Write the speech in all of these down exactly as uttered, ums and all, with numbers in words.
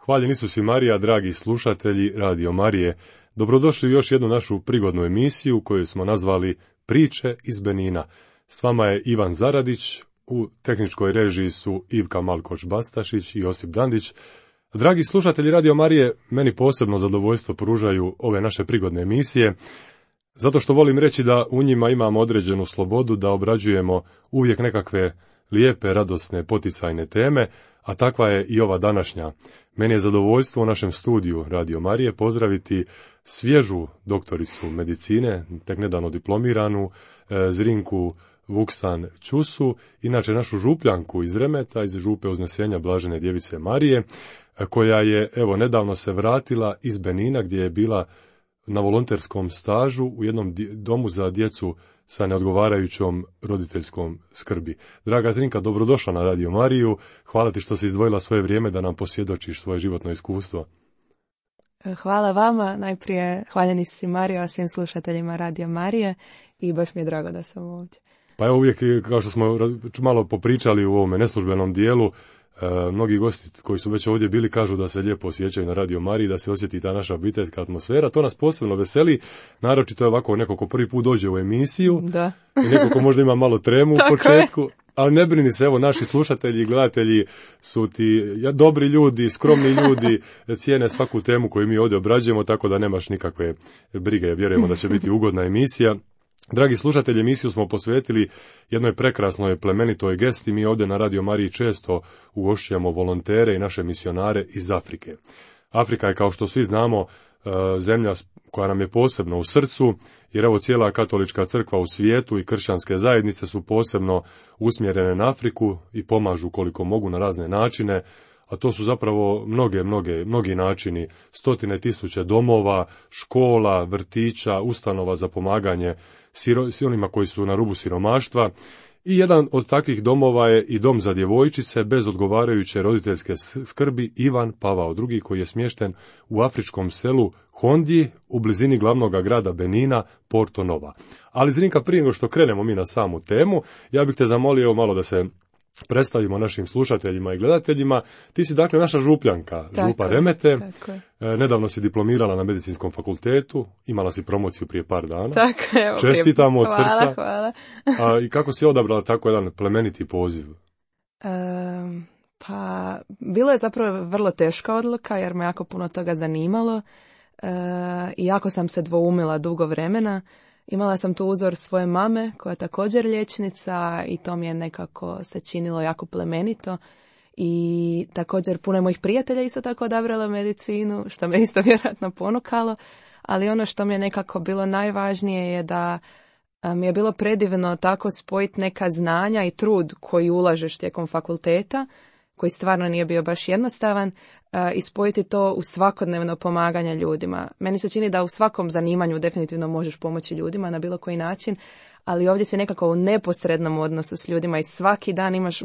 Hvaljen Isus i Marija, dragi slušatelji Radio Marije. Dobrodošli u još jednu našu prigodnu emisiju koju smo nazvali Priče iz Benina. S vama je Ivan Zaradić, u tehničkoj režiji su Ivka Malkoč-Bastašić i Josip Dandić. Dragi slušatelji Radio Marije, meni posebno zadovoljstvo pružaju ove naše prigodne emisije, zato što volim reći da u njima imamo određenu slobodu da obrađujemo uvijek nekakve lijepe, radosne, poticajne teme, a takva je i ova današnja. Meni je zadovoljstvo u našem studiju Radio Marije pozdraviti svježu doktoricu medicine, tek nedavno diplomiranu, Zrinku Vuksan Ćusu, inače našu župljanku iz Remeta, iz župe Uznesenja Blažene Djevice Marije, koja je evo nedavno se vratila iz Benina gdje je bila na volonterskom stažu u jednom domu za djecu sa neodgovarajućom roditeljskom skrbi. Draga Zrinka, dobrodošla na Radio Mariju. Hvala ti što si izdvojila svoje vrijeme da nam posvjedočiš svoje životno iskustvo. Hvala vama. Najprije hvaljeni si Mario, a svim slušateljima Radio Marije i baš mi je drago da sam ovdje. Pa evo uvijek, kao što smo malo popričali u ovome neslužbenom dijelu, E, mnogi gosti koji su već ovdje bili kažu da se lijepo osjećaju na Radio Mariji, da se osjeti ta naša obiteljska atmosfera. To nas posebno veseli, naročito je ovako neko ko prvi put dođe u emisiju da. I neko ko možda ima malo tremu u početku, je. Ali ne brini se, evo naši slušatelji i gledatelji su ti dobri ljudi, skromni ljudi, cijene svaku temu koju mi ovdje obrađujemo, tako da nemaš nikakve brige, vjerujemo da će biti ugodna emisija. Dragi slušatelji, emisiju smo posvetili jednoj prekrasnoj plemenitoj gesti. Mi ovdje na Radio Mariji često ugošćujemo volontere i naše misionare iz Afrike. Afrika je, kao što svi znamo, zemlja koja nam je posebno u srcu, jer evo cijela katolička crkva u svijetu i kršćanske zajednice su posebno usmjerene na Afriku i pomažu koliko mogu na razne načine, a to su zapravo mnoge, mnoge, mnogi načini, stotine tisuće domova, škola, vrtića, ustanova za pomaganje s onima koji su na rubu siromaštva. I jedan od takvih domova je i dom za djevojčice bez odgovarajuće roditeljske skrbi Ivan Pavao drugi, koji je smješten u afričkom selu Hondji u blizini glavnog grada Benina, Porto Nova. Ali Zrinka, prije nego što krenemo mi na samu temu, ja bih te zamolio malo da se predstavimo našim slušateljima i gledateljima. Ti si dakle naša župljanka, tako župa Remete. Tako je. Nedavno si diplomirala na medicinskom fakultetu, imala si promociju prije par dana. Tako je. Čestitamo od hvala, srca. Hvala. A, I kako si odabrala tako jedan plemeniti poziv? Um, pa, bilo je zapravo vrlo teška odluka jer me jako puno toga zanimalo uh, i jako sam se dvoumila dugo vremena. Imala sam tu uzor svoje mame, koja je također liječnica, i to mi je nekako se činilo jako plemenito. I također puno mojih prijatelja isto tako odabrala medicinu, što me isto vjerojatno ponukalo. Ali ono što mi je nekako bilo najvažnije je da mi je bilo predivno tako spojiti neka znanja i trud koji ulažeš tijekom fakulteta, koji stvarno nije bio baš jednostavan, i spojiti to u svakodnevno pomaganje ljudima. Meni se čini da u svakom zanimanju definitivno možeš pomoći ljudima na bilo koji način, ali ovdje si nekako u neposrednom odnosu s ljudima i svaki dan imaš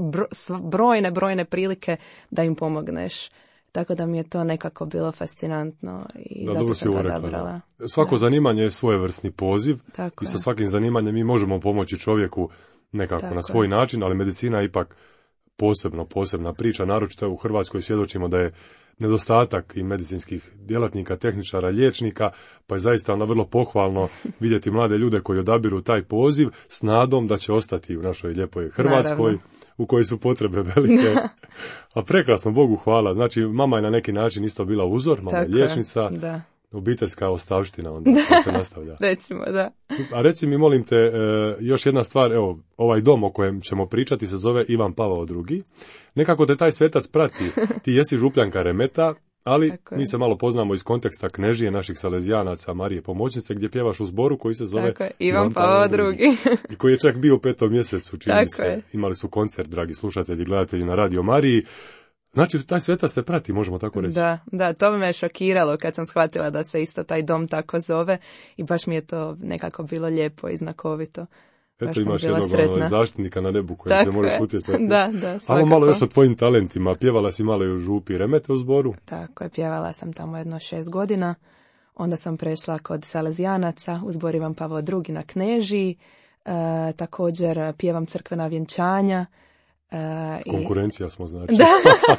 brojne, brojne prilike da im pomogneš. Tako da mi je to nekako bilo fascinantno i da, zato sam ga odabrala. Svako da. zanimanje je svojevrsni poziv. Tako i sa je. svakim zanimanjem mi možemo pomoći čovjeku nekako Tako na svoj je. način, ali medicina je ipak posebno, posebna priča, naročito u Hrvatskoj svjedočimo da je nedostatak i medicinskih djelatnika, tehničara, liječnika, pa je zaista onda vrlo pohvalno vidjeti mlade ljude koji odabiru taj poziv s nadom da će ostati u našoj lijepoj Hrvatskoj, naravno, u kojoj su potrebe velike. A prekrasno, Bogu hvala. Znači, mama je na neki način isto bila uzor, mama je liječnica. Da. Obiteljska ostavština onda se nastavlja. Recimo, da. A reci mi, molim te, još jedna stvar, evo, ovaj dom o kojem ćemo pričati se zove Ivan Pavao drugi. Nekako te taj svetac prati. Ti jesi župljanka Remeta, ali mi se malo poznamo iz konteksta Knežije naših salezijanaca Marije Pomoćnice, gdje pjevaš u zboru koji se zove Ivan, Ivan Pavao drugi. I koji je čak bio u petom mjesecu, čini Tako se. Je. Imali su koncert, dragi slušatelji i gledatelji, na Radio Mariji. Znači, taj svetac te prati, možemo tako reći. Da, da, to me je šokiralo kad sam shvatila da se isto taj dom tako zove i baš mi je to nekako bilo lijepo i znakovito. Eto, imaš jednog ono, zaštitnika na nebu kojem tako se možeš utjecati. Da, da, svakako. Ajmo malo još o tvojim talentima. Pjevala si malo i u župi Remete u zboru? Tako je, pjevala sam tamo jedno šest godina. Onda sam prešla kod salezijanaca u zbor Ivan Pavao drugi na Knežiji. E, također pjevam crkvena vjenčanja. Uh, Konkurencija smo, znači. Da,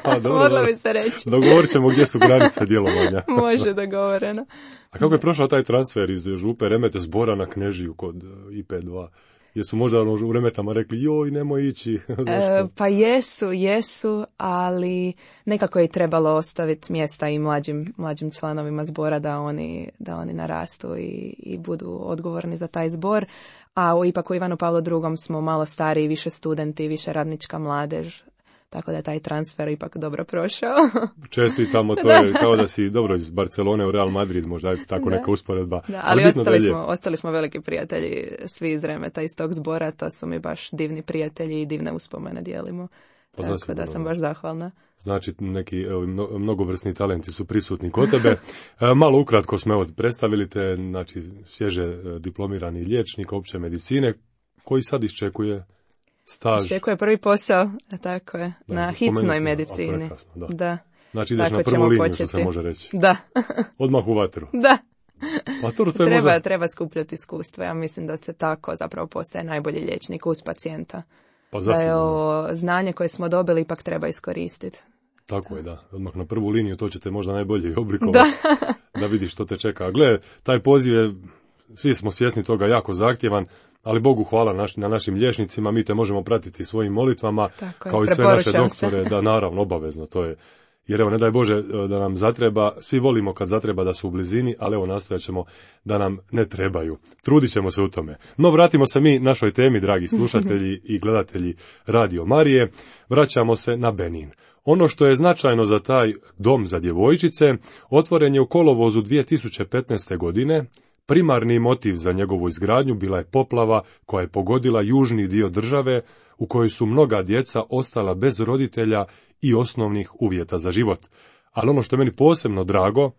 dobro, mogla dobro. bi se reći. Dogovorit ćemo gdje su granice djelovanja. Može, dogovoreno. A kako je prošao taj transfer iz Župe Remete Zbora na Knežiju kod I P dva? Jesu možda ono u Remetama rekli, joj, nemoj ići? E, pa jesu, jesu, ali nekako je trebalo ostaviti mjesta i mlađim, mlađim članovima zbora da oni, da oni narastu i, i budu odgovorni za taj zbor. A u, ipak u Ivanu Pavlu drugom smo malo stariji, više studenti, više radnička mladež. Tako da je taj transfer ipak dobro prošao. Čestitamo, to je kao da si dobro iz Barcelone u Real Madrid, možda je tako da. neka usporedba. Da, ali ali ostali, da smo, ostali smo veliki prijatelji, svi iz Remeta, iz tog zbora, to su mi baš divni prijatelji i divne uspomene dijelimo. Pa tako zasigurno, da sam baš zahvalna. Znači, neki evo, mnogovrsni talenti su prisutni kod tebe. E, malo ukratko smo evo, predstavili te, znači, svježe diplomirani liječnik opće medicine, koji sad iščekuje staž. Iščekuje prvi posao, tako je, da, na hitnoj medicini. Prekrasno, da. Da. Znači ideš tako na prvu liniju, početi. što se može reći. Da. Odmah u vatru. Da. Pa to, to je treba, možda... treba skupljati iskustvo. Ja mislim da se tako zapravo postaje najbolji liječnik uz pacijenta. Pa da je ovo znanje koje smo dobili ipak treba iskoristiti. Tako je, da. Odmah na prvu liniju to ćete možda najbolje oblikovati. Da. Da vidiš što te čeka. Gle, taj poziv je, svi smo svjesni toga, jako zahtjevan, ali Bogu hvala naš, na našim liječnicima, mi te možemo pratiti svojim molitvama, tako kao je, i sve naše doktore, se. Da, naravno, obavezno, to je. Jer evo, ne daj Bože da nam zatreba, svi volimo kad zatreba da su u blizini, ali evo nastojat ćemo da nam ne trebaju. Trudit ćemo se u tome. No, vratimo se mi našoj temi, dragi slušatelji i gledatelji Radio Marije. Vraćamo se na Benin. Ono što je značajno za taj dom za djevojčice, otvoren je u kolovozu dvije tisuće petnaeste. godine. Primarni motiv za njegovu izgradnju bila je poplava koja je pogodila južni dio države, u kojoj su mnoga djeca ostala bez roditelja i osnovnih uvjeta za život. Ali ono što je meni posebno drago,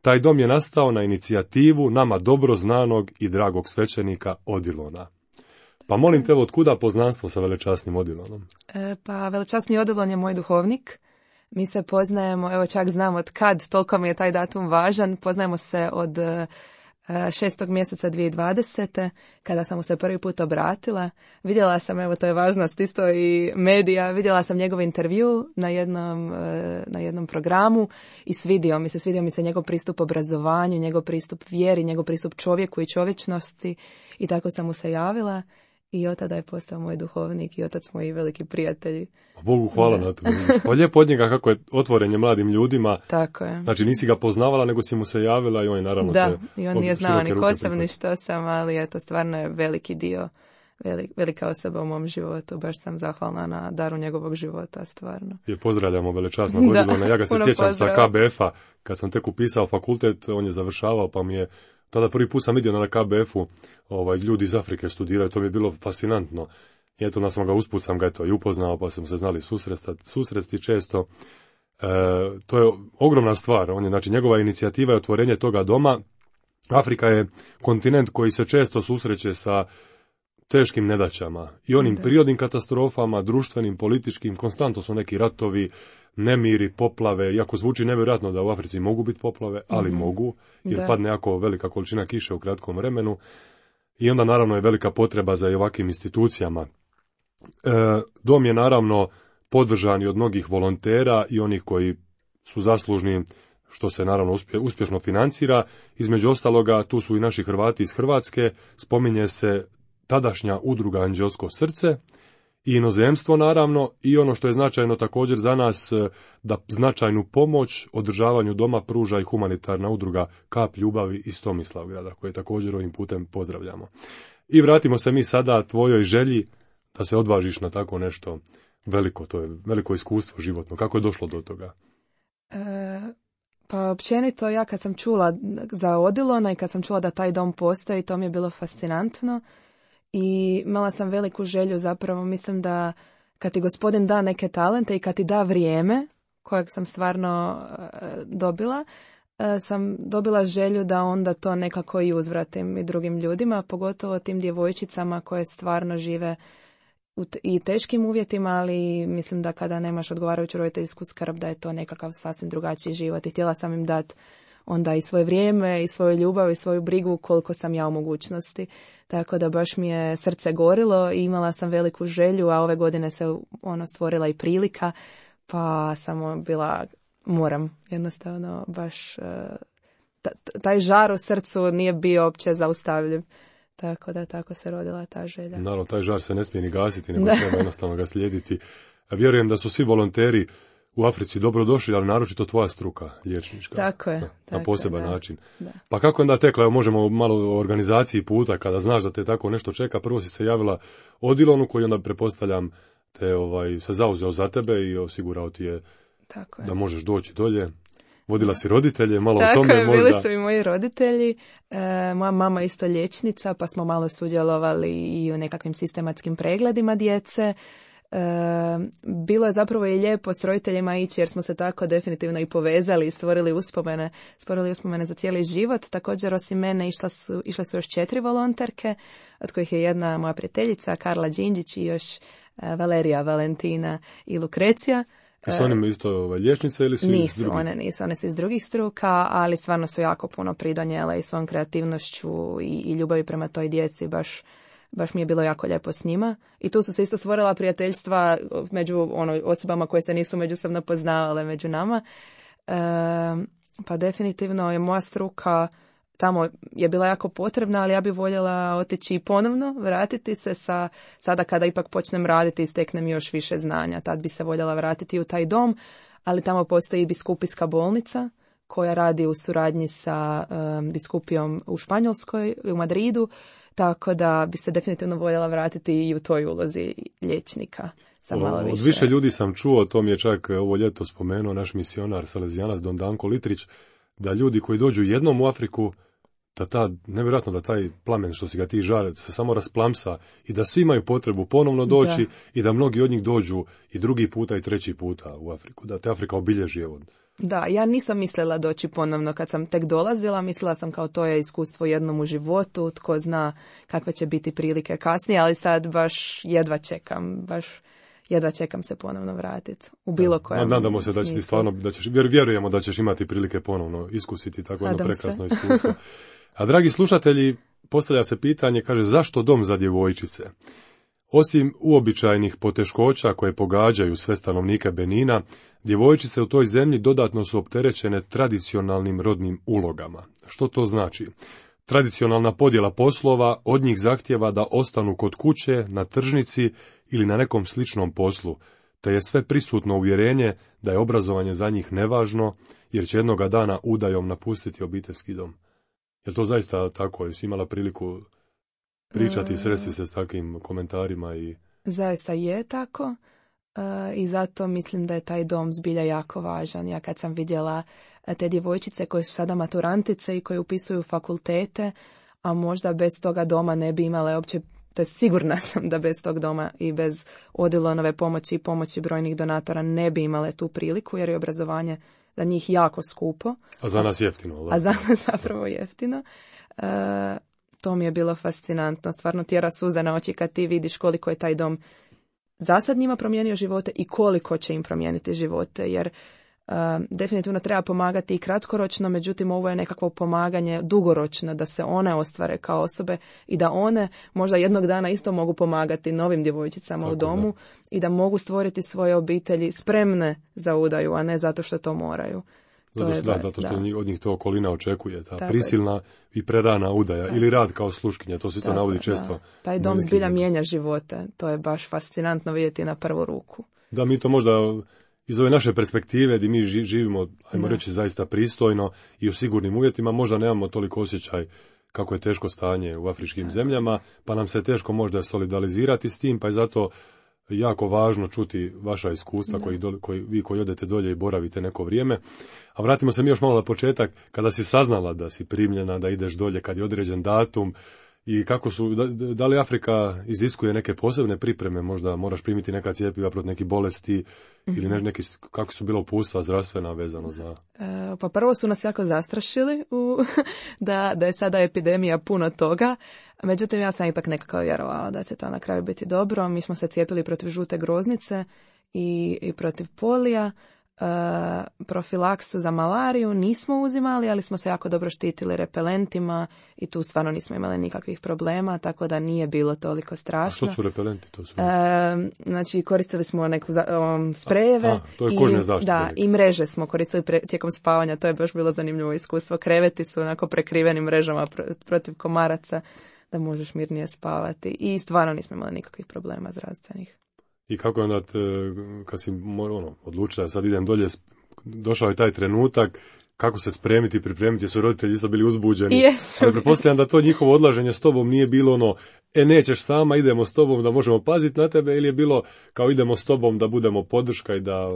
taj dom je nastao na inicijativu nama dobro znanog i dragog svećenika Odilona. Pa molim te, otkuda poznanstvo sa velečasnim Odilonom? E, pa velečasni Odilon je moj duhovnik. Mi se poznajemo, evo čak znam od kad, toliko mi je taj datum važan, poznajemo se od šestog mjeseca dvije tisuće dvadesete. kada sam mu se prvi put obratila. Vidjela sam, evo to je važnost isto i medija, vidjela sam njegov intervju na jednom, na jednom programu i svidio mi se, svidio mi se njegov pristup obrazovanju, njegov pristup vjeri, njegov pristup čovjeku i čovječnosti i tako sam mu se javila. I od tada je postao moj duhovnik i otac smo i veliki prijatelji. Bogu hvala na to. Pa lijepo od njega kako je otvorenje mladim ljudima. Tako je. Znači nisi ga poznavala, nego si mu se javila i on je naravno da, te... Da, i on nije znao ni ko sam, ni što sam, ali eto, stvarno je veliki dio, velik, velika osoba u mom životu. Baš sam zahvalna na daru njegovog života, stvarno. Je pozdravljamo velečasnog Odilona. Ja ga se sjećam pozdrav. Sa K B F-a, kad sam tek upisao fakultet, on je završavao, pa mi je tada prvi put sam vidio na K B F-u ovaj, ljudi iz Afrike studiraju, to mi je bilo fascinantno. I eto, nas sam ga usput sam ga eto, i upoznao, pa smo se znali susrestati, susresti često. E, to je ogromna stvar. On je, znači, njegova inicijativa je otvorenje toga doma. Afrika je kontinent koji se često susreće sa teškim nedaćama i onim da. prirodnim katastrofama, društvenim, političkim, konstantno su neki ratovi, nemiri, poplave, iako zvuči nevjerojatno da u Africi mogu biti poplave, ali mm-hmm. mogu, jer da. padne jako velika količina kiše u kratkom vremenu i onda naravno je velika potreba za ovakvim institucijama. E, dom je naravno podržan i od mnogih volontera i onih koji su zaslužni, što se naravno uspje, uspješno financira. Između ostaloga, tu su i naši Hrvati iz Hrvatske, spominje se tadašnja udruga Anđelsko srce i inozemstvo naravno i ono što je značajno također za nas, da značajnu pomoć održavanju doma pruža i humanitarna udruga Kap ljubavi iz Tomislavgrada, koje također ovim putem pozdravljamo. I vratimo se mi sada tvojoj želji da se odvažiš na tako nešto veliko, to je veliko iskustvo životno. Kako je došlo do toga? E, pa općenito ja kad sam čula za Odilona i kad sam čula da taj dom postoji, to mi je bilo fascinantno. I imala sam veliku želju, zapravo mislim da kad ti gospodin da neke talente i kad ti da vrijeme, kojeg sam stvarno uh, dobila, uh, sam dobila želju da onda to nekako i uzvratim i drugim ljudima, pogotovo tim djevojčicama koje stvarno žive u t- i teškim uvjetima, ali mislim da kada nemaš odgovarajuću roditeljsku skrb da je to nekakav sasvim drugačiji život i htjela sam im dati onda i svoje vrijeme i svoju ljubav i svoju brigu koliko sam ja u mogućnosti. Tako da baš mi je srce gorilo i imala sam veliku želju, a ove godine se ono stvorila i prilika, pa sam bila, moram jednostavno baš, taj žar u srcu nije bio uopće zaustavljiv. Tako da tako se rodila ta želja. Naravno, taj žar se ne smije ni gasiti, nego treba jednostavno ga slijediti. Vjerujem da su svi volonteri u Africi dobro došli, ali naročito tvoja struka, liječnička. Tako je. Na, tako na poseban da, način. Da. Pa kako onda tekla, evo možemo malo o organizaciji puta, kada znaš da te tako nešto čeka, prvo si se javila Odilonu koji onda pretpostavljam te ovaj, se zauzeo za tebe i osigurao ti je, tako je. Da možeš doći dolje. Vodila si roditelje, malo tako o tome je, možda. Bili su i moji roditelji, e, moja mama isto liječnica, pa smo malo sudjelovali i u nekakvim sistematskim pregledima djece. E, bilo je zapravo i lijepo s roditeljima ići jer smo se tako definitivno i povezali i stvorili uspomene, stvorili uspomene za cijeli život. Također osim mene išla su, išle su još četiri volonterke, od kojih je jedna moja prijateljica Karla Đinđić i još Valerija, Valentina i Lukrecija. I su one isto ovaj, liječnice ili su nisu, iz drugih? One nisu, one su iz drugih struka, ali stvarno su jako puno pridonijele i svojom kreativnošću i, i ljubavi prema toj djeci, baš, baš mi je bilo jako lijepo s njima. I tu su se isto stvorila prijateljstva među ono, osobama koje se nisu međusobno poznavale među nama. E, pa definitivno je moja struka tamo je bila jako potrebna, ali ja bih voljela otići ponovno, vratiti se sa, sada kada ipak počnem raditi i steknem još više znanja. Tad bi se voljela vratiti u taj dom, ali tamo postoji biskupijska bolnica koja radi u suradnji sa um, biskupijom u Španjolskoj, u Madridu, tako da bi se definitivno voljela vratiti i u toj ulozi liječnika. Sa malo više. Od više ljudi sam čuo, to mi je čak ovo ljeto spomenuo naš misionar salezijanac Don Danko Litrić, da ljudi koji dođu jednom u Afriku, da ta, nevjerojatno da taj plamen što si ga ti žare se samo rasplamsa i da svi imaju potrebu ponovno doći da. I da mnogi od njih dođu i drugi puta i treći puta u Afriku, da te Afrika obilježi. Evo. Da, ja nisam mislila doći ponovno kad sam tek dolazila, mislila sam kao to je iskustvo jednom u životu, tko zna kakve će biti prilike kasnije, ali sad baš jedva čekam, baš jedva čekam se ponovno vratiti u bilo kojem. Nadamo se da će ti stvarno, da ćeš, vjerujemo da ćeš imati prilike ponovno iskusiti tako jedno prekrasno se. iskustvo. A dragi slušatelji, postavlja se pitanje, kaže, zašto dom za djevojčice? Osim uobičajenih poteškoća koje pogađaju sve stanovnike Benina, djevojčice u toj zemlji dodatno su opterećene tradicionalnim rodnim ulogama. Što to znači? Tradicionalna podjela poslova od njih zahtjeva da ostanu kod kuće, na tržnici ili na nekom sličnom poslu, te je sve prisutno uvjerenje da je obrazovanje za njih nevažno, jer će jednoga dana udajom napustiti obiteljski dom. Je to zaista tako? Jesi imala priliku pričati i sresti se s takvim komentarima? I... Zaista je tako uh, i zato mislim da je taj dom zbilja jako važan. Ja kad sam vidjela te djevojčice koje su sada maturantice i koje upisuju fakultete, a možda bez toga doma ne bi imale uopće, to je sigurna sam da bez tog doma i bez Odilonove pomoći i pomoći brojnih donatora ne bi imale tu priliku, jer je obrazovanje za njih jako skupo. A za nas jeftino. Da. A za nas zapravo jeftino. E, to mi je bilo fascinantno. Stvarno tjera suze na oči kad ti vidiš koliko je taj dom za sad njima promijenio živote i koliko će im promijeniti živote, jer Uh, definitivno treba pomagati i kratkoročno, međutim ovo je nekakvo pomaganje dugoročno, da se one ostvare kao osobe i da one možda jednog dana isto mogu pomagati novim djevojčicama Tako, u domu da. I da mogu stvoriti svoje obitelji spremne za udaju, a ne zato što to moraju. Zato što, to je, da, zato što da. Od njih to okolina očekuje, ta Tako prisilna je. I prerana udaja Tako. Ili rad kao sluškinja, to se isto navodi često. Da. Taj dom zbilja mijenja živote, to je baš fascinantno vidjeti na prvu ruku. Da, mi to možda iz ove naše perspektive gdje mi živimo, ajmo da. reći, zaista pristojno i u sigurnim uvjetima, možda nemamo toliko osjećaj kako je teško stanje u afričkim da. zemljama, pa nam se teško možda solidarizirati s tim, pa je zato jako važno čuti vaša iskustva koji, do, koji vi koji odete dolje i boravite neko vrijeme. A vratimo se mi još malo na početak, kada si saznala da si primljena, da ideš dolje kad je određen datum, i kako su, da, da li Afrika iziskuje neke posebne pripreme, možda moraš primiti neka cjepiva protiv nekih bolesti mm-hmm. ili ne, neki, kako su bila upustva zdravstvena vezano za... E, pa prvo su nas jako zastrašili u, da, da je sada epidemija puno toga, međutim ja sam ipak nekako vjerovala da će to na kraju biti dobro. Mi smo se cijepili protiv žute groznice i, i protiv polija. profilaksu za malariju nismo uzimali, ali smo se jako dobro štitili repelentima i tu stvarno nismo imali nikakvih problema, tako da nije bilo toliko strašno. A što su repelenti? To su... E, znači koristili smo neku um, sprejeve. A, a, to je kožne zaštite. Da, i mreže smo koristili pre, tijekom spavanja, to je baš bilo zanimljivo iskustvo. Kreveti su onako prekriveni mrežama pr- protiv komaraca da možeš mirnije spavati i stvarno nismo imali nikakvih problema zdravstvenih. I kako je onda, te, kad si ono, odlučila, sad idem dolje, došao je taj trenutak, kako se spremiti i pripremiti, jer su roditelji isto bili uzbuđeni. Yes, ali pretpostavljam da to njihovo odlaženje s tobom nije bilo ono, e nećeš sama, idemo s tobom da možemo paziti na tebe, ili je bilo kao idemo s tobom da budemo podrška i da...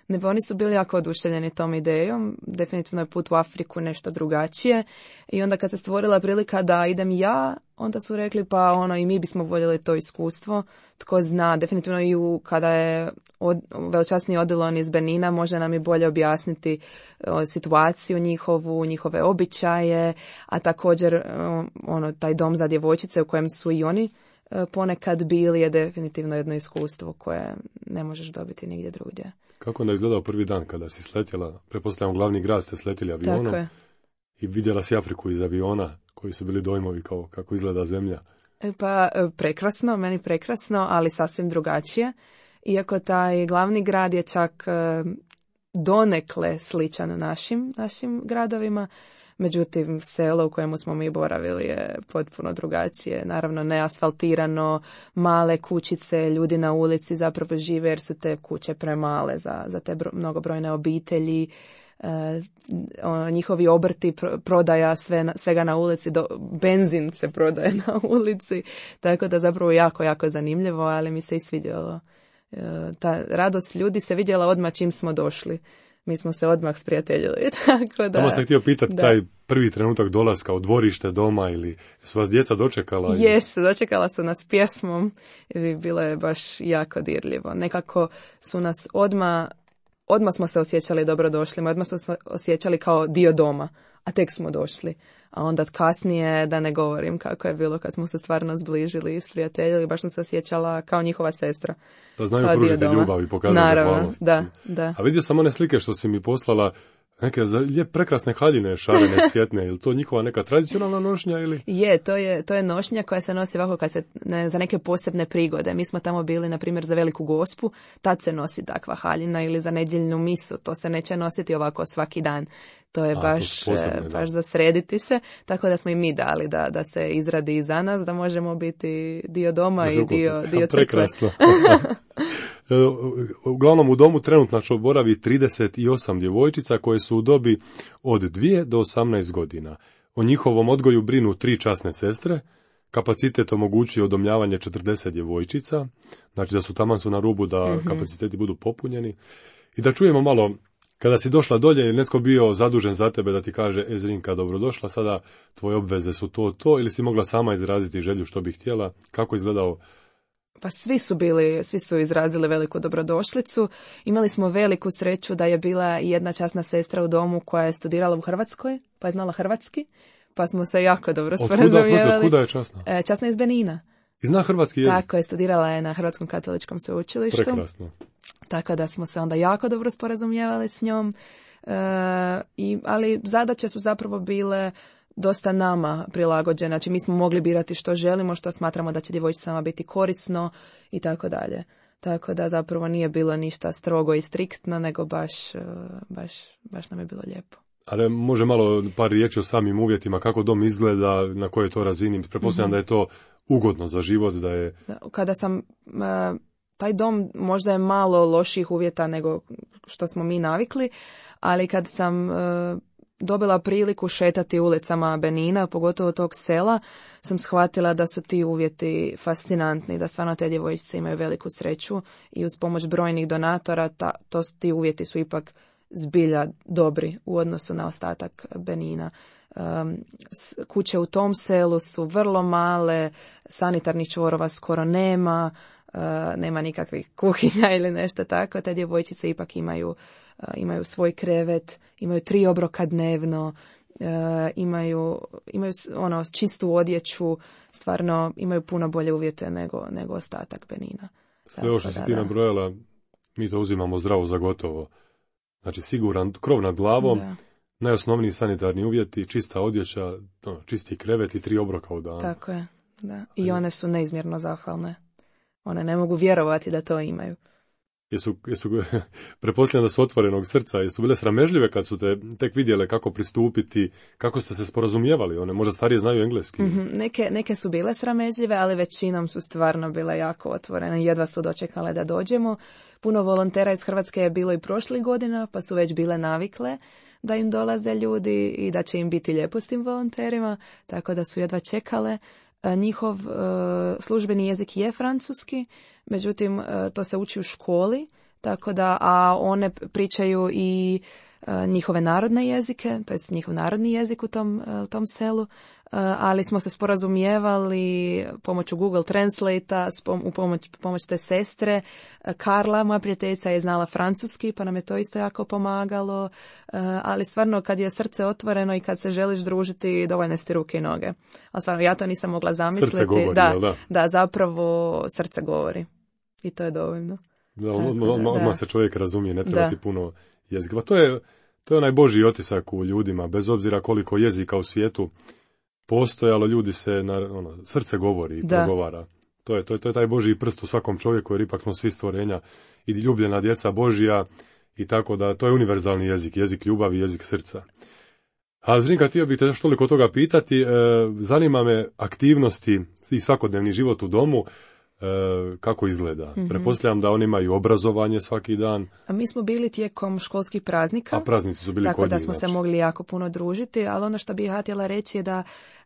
Ne, oni su bili jako oduševljeni tom idejom, definitivno je put u Afriku nešto drugačije i onda kad se stvorila prilika da idem ja, onda su rekli pa ono i mi bismo voljeli to iskustvo, tko zna, definitivno i u, kada je od, velčasni Odilon iz Benina može nam i bolje objasniti o, situaciju njihovu, njihove običaje, a također o, ono taj dom za djevojčice u kojem su i oni o, ponekad bili je definitivno jedno iskustvo koje ne možeš dobiti nigdje drugdje. Kako onda izgledao prvi dan kada si sletjela, pretpostavljam glavni grad ste sletjeli avionom i vidjela si Afriku iz aviona, koji su bili dojmovi kao kako izgleda zemlja? Pa prekrasno, meni prekrasno, ali sasvim drugačije. Iako taj glavni grad je čak donekle sličan našim, našim gradovima, međutim selo u kojemu smo mi boravili je potpuno drugačije. Naravno neasfaltirano, male kućice, ljudi na ulici zapravo žive jer su te kuće premale za, za te bro, mnogobrojne obitelji. E, o, njihovi obrti, pro, prodaja sve, svega na ulici, do, benzin se prodaje na ulici, tako da zapravo jako, jako zanimljivo, ali mi se i svidjelo. E, ta radost ljudi se vidjela odmah čim smo došli. Mi smo se odmah sprijateljili, tako da... Tamo sam htio pitati da. Taj prvi trenutak dolaska u dvorište doma ili su vas djeca dočekala? Jesu, dočekala su nas pjesmom i bilo je baš jako dirljivo. Nekako su nas odmah, odmah smo se osjećali dobrodošlima, odmah smo se osjećali kao dio doma, a tek smo došli. A onda kasnije, da ne govorim kako je bilo kad smo se stvarno zbližili i sprijateljili, baš sam se osjećala kao njihova sestra. Da znaju pružiti ljubav i pokazati zahvalnost. Da, da. A vidio sam one slike što si mi poslala, neke lijep prekrasne haljine, šarene, cvjetne, ili to njihova neka tradicionalna nošnja ili? Je, to je, to je nošnja koja se nosi ovako kad se, ne, za neke posebne prigode. Mi smo tamo bili, na primjer, za Veliku Gospu, tad se nosi takva haljina ili za nedjeljnu misu, to se neće nositi ovako svaki dan. To je A, baš, to posebne, baš za srediti se, tako da smo i mi dali da, da se izradi i za nas, da možemo biti dio doma i dio, dio crkve. Prekrasno. Uglavnom u domu trenutno boravi trideset osam djevojčica koje su u dobi od dvije do osamnaest godina. O njihovom odgoju brinu tri časne sestre, kapacitet omogućuje udomljavanje četrdeset djevojčica, znači da su taman su na rubu da mm-hmm. kapaciteti budu popunjeni. I da čujemo malo, kada si došla dolje ili netko bio zadužen za tebe da ti kaže e Zrinka, dobrodošla, sada tvoje obveze su to, to, ili si mogla sama izraziti želju što bi htjela, kako je izgledao? Pa svi su bili, svi su izrazili veliku dobrodošlicu. Imali smo veliku sreću da je bila jedna časna sestra u domu koja je studirala u Hrvatskoj, pa je znala hrvatski, pa smo se jako dobro sporazumijevali. Od kuda je časna? E, časna iz Benina. I zna hrvatski jezik? Tako je, studirala je na Hrvatskom katoličkom sveučilištu. Prekrasno. Tako da smo se onda jako dobro sporazumijevali s njom. E, i, ali zadaće su zapravo bile dosta nama prilagođene. Znači mi smo mogli birati što želimo, što smatramo da će djevojčicama biti korisno i tako dalje. Tako da zapravo nije bilo ništa strogo i striktno, nego baš, baš, baš nam je bilo lijepo. Ali može malo par riječi o samim uvjetima, kako dom izgleda, na kojoj to razini. Pretpostavljam mm-hmm. da je to ugodno za život, da je... Kada sam... Taj dom možda je malo loših uvjeta nego što smo mi navikli, ali kad sam dobila priliku šetati ulicama Benina, pogotovo tog sela, sam shvatila da su ti uvjeti fascinantni, da stvarno te djevojčice imaju veliku sreću i uz pomoć brojnih donatora ta, to, ti uvjeti su ipak zbilja dobri u odnosu na ostatak Benina. Um, kuće u tom selu su vrlo male, sanitarnih čvorova skoro nema, uh, nema nikakvih kuhinja ili nešto tako. Te djevojčice ipak imaju, uh, imaju svoj krevet, imaju tri obroka dnevno, uh, imaju, imaju ono, čistu odjeću, stvarno imaju puno bolje uvjete nego, nego ostatak Benina. Sve ovo što si ti nabrojala, mi to uzimamo zdravo za gotovo. Znači siguran krov nad glavom, Da. najosnovniji sanitarni uvjeti, čista odjeća, no, čisti krevet i tri obroka u danu. Tako je, da. I one su neizmjerno zahvalne. One ne mogu vjerovati da to imaju. Jesu, jesu, pretpostavljam da su otvorenog srca, jesu bile sramežljive kad su te tek vidjele kako pristupiti, kako ste se sporazumijevali, one možda starije znaju engleski. Mm-hmm. Neke, neke su bile sramežljive, ali većinom su stvarno bile jako otvorene, jedva su dočekale da dođemo. Puno volontera iz Hrvatske je bilo i prošlih godina, pa su već bile navikle da im dolaze ljudi i da će im biti lijepo s tim volonterima, tako da su jedva čekale. Njihov uh, službeni jezik je francuski, međutim uh, to se uči u školi, tako da, a one pričaju i uh, njihove narodne jezike, to jest njihov narodni jezik u tom, uh, tom selu, uh, ali smo se sporazumijevali pomoću Google Translate-a, pom- u pomoć, pomoć te sestre. Uh, Karla, moja prijateljica, je znala francuski, pa nam je to isto jako pomagalo, uh, ali stvarno kad je srce otvoreno i kad se želiš družiti, dovoljne su ti ruke i noge. Ali stvarno, ja to nisam mogla zamisliti. Srce govori, da, da? Da, zapravo srce govori. I to je dovoljno. Da, odmah, odmah, odmah se čovjek razumije, ne treba da. ti puno jezika. Pa to je, to je onaj Božji otisak u ljudima, bez obzira koliko jezika u svijetu postojalo, ljudi se, na, ono, srce govori i progovara. To je, to, je, to je taj Božji prst u svakom čovjeku, jer ipak smo svi stvorenja i ljubljena djeca Božja i tako da to je univerzalni jezik, jezik ljubavi, jezik srca. A Zrinka, htio bih te još toliko toga pitati, e, zanima me aktivnosti i svakodnevni život u domu, E, kako izgleda. Mm-hmm. Pretpostavljam da oni imaju obrazovanje svaki dan. A mi smo bili tijekom školskih praznika. A praznici su bili tako kod da njih, smo znači. se mogli jako puno družiti, ali ono što bih ja htjela reći je da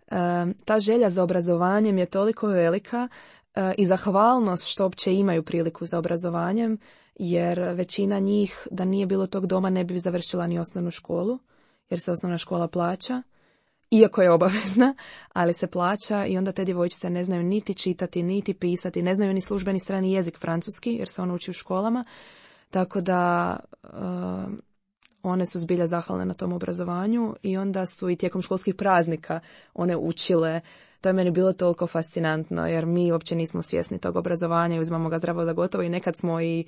e, ta želja za obrazovanjem je toliko velika e, i zahvalnost što uopće imaju priliku za obrazovanjem, jer većina njih, da nije bilo tog doma, ne bi završila ni osnovnu školu, jer se osnovna škola plaća. Iako je obavezna, ali se plaća i onda te djevojčice ne znaju niti čitati, niti pisati, ne znaju ni službeni strani jezik francuski, jer se ono uči u školama. Tako da uh, one su zbilja zahvalne na tom obrazovanju i onda su i tijekom školskih praznika one učile. To je meni bilo toliko fascinantno, jer mi uopće nismo svjesni tog obrazovanja i uzmamo ga zdravo za gotovo i nekad smo i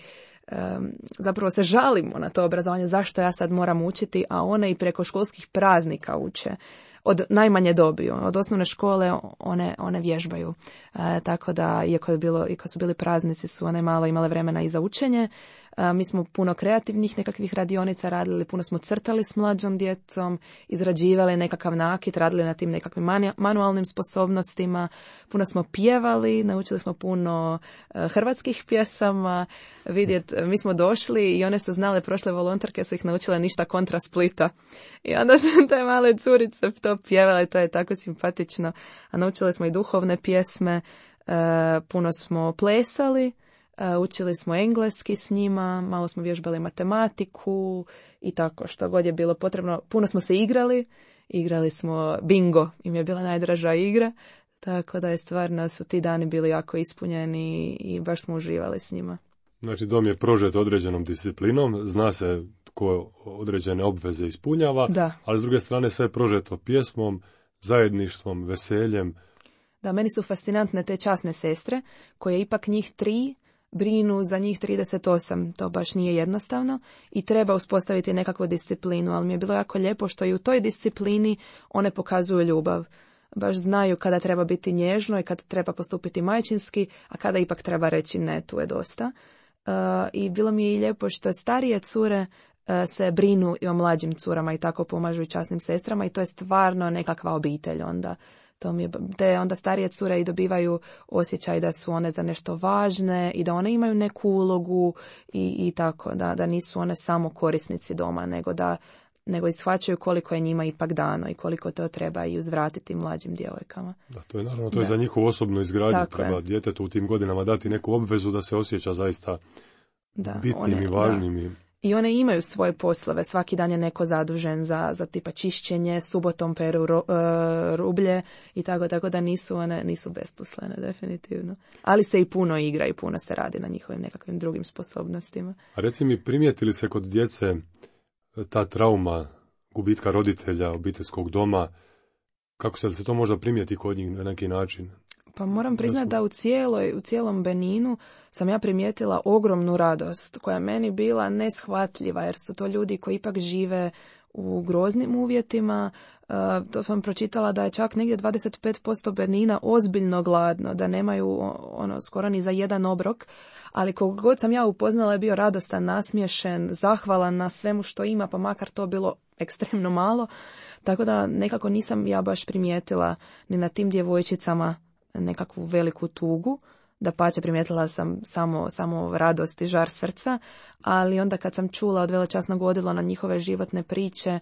um, zapravo se žalimo na to obrazovanje, zašto ja sad moram učiti, a one i preko školskih praznika uče. Od najmanje dobi, od osnovne škole one, one vježbaju. E, tako da, iako, je bilo, iako su bili praznici, su one malo imale vremena i za učenje. E, mi smo puno kreativnih nekakvih radionica radili, puno smo crtali s mlađom djecom, izrađivali nekakav nakit, radili na tim nekakvim manu, manualnim sposobnostima, puno smo pjevali, naučili smo puno e, hrvatskih pjesama. Vidjet, mi smo došli i one su znale, prošle volonterke su ih naučile ništa kontra Splita. I onda su te male curice to pjevale, to je tako simpatično. A naučili smo i duhovne pjesme, e, puno smo plesali, e, učili smo engleski s njima, malo smo vježbali matematiku i tako što god je bilo potrebno. Puno smo se igrali, igrali smo bingo, im je bila najdraža igra, tako da je stvarno su ti dani bili jako ispunjeni i baš smo uživali s njima. Znači, dom je prožet određenom disciplinom, zna se ko određene obveze ispunjava, da. Ali s druge strane sve je prožeto pjesmom, zajedništvom, veseljem. Da, meni su fascinantne te časne sestre, koje ipak njih tri brinu za njih trideset osam. To baš nije jednostavno i treba uspostaviti nekakvu disciplinu, ali mi je bilo jako lijepo što i u toj disciplini one pokazuju ljubav. Baš znaju kada treba biti nježno i kada treba postupiti majčinski, a kada ipak treba reći ne, tu je dosta. Uh, I bilo mi je i lijepo što starije cure uh, se brinu i o mlađim curama i tako pomažu i časnim sestrama i to je stvarno nekakva obitelj onda. To mi je, te onda starije cure i dobivaju osjećaj da su one za nešto važne i da one imaju neku ulogu i, i tako, da, da nisu one samo korisnici doma, nego da nego ishvaćaju koliko je njima ipak dano i koliko to treba i uzvratiti mlađim djevojkama. Da, to je naravno, to je da. Za njihovu osobnu izgradnju. Tako treba je. Djetetu u tim godinama dati neku obvezu da se osjeća zaista da, bitnim one, i važnim. Da. I... I one imaju svoje poslove, svaki dan je neko zadužen za, za tipa čišćenje, subotom peru ro, uh, rublje i tako, tako da nisu one nisu besposlene, definitivno. Ali se i puno igra i puno se radi na njihovim nekakvim drugim sposobnostima. A reci mi, prijetili se kod djece ta trauma gubitka roditelja, obiteljskog doma, kako se, se to možda primijeti kod njih na neki način? Pa moram priznati da u cijeloj, u cijelom Beninu sam ja primijetila ogromnu radost koja je meni bila neshvatljiva, jer su to ljudi koji ipak žive u groznim uvjetima. Uh, to sam pročitala da je čak negdje dvadeset pet posto Benina ozbiljno gladno, da nemaju ono skoro ni za jedan obrok, ali koliko god sam ja upoznala je bio radostan, nasmiješen, zahvalan na svemu što ima, pa makar to bilo ekstremno malo, tako da nekako nisam ja baš primijetila ni na tim djevojčicama nekakvu veliku tugu. Dapače, primijetila sam samo, samo radost i žar srca, ali onda kad sam čula od velečasnog odjela na njihove životne priče,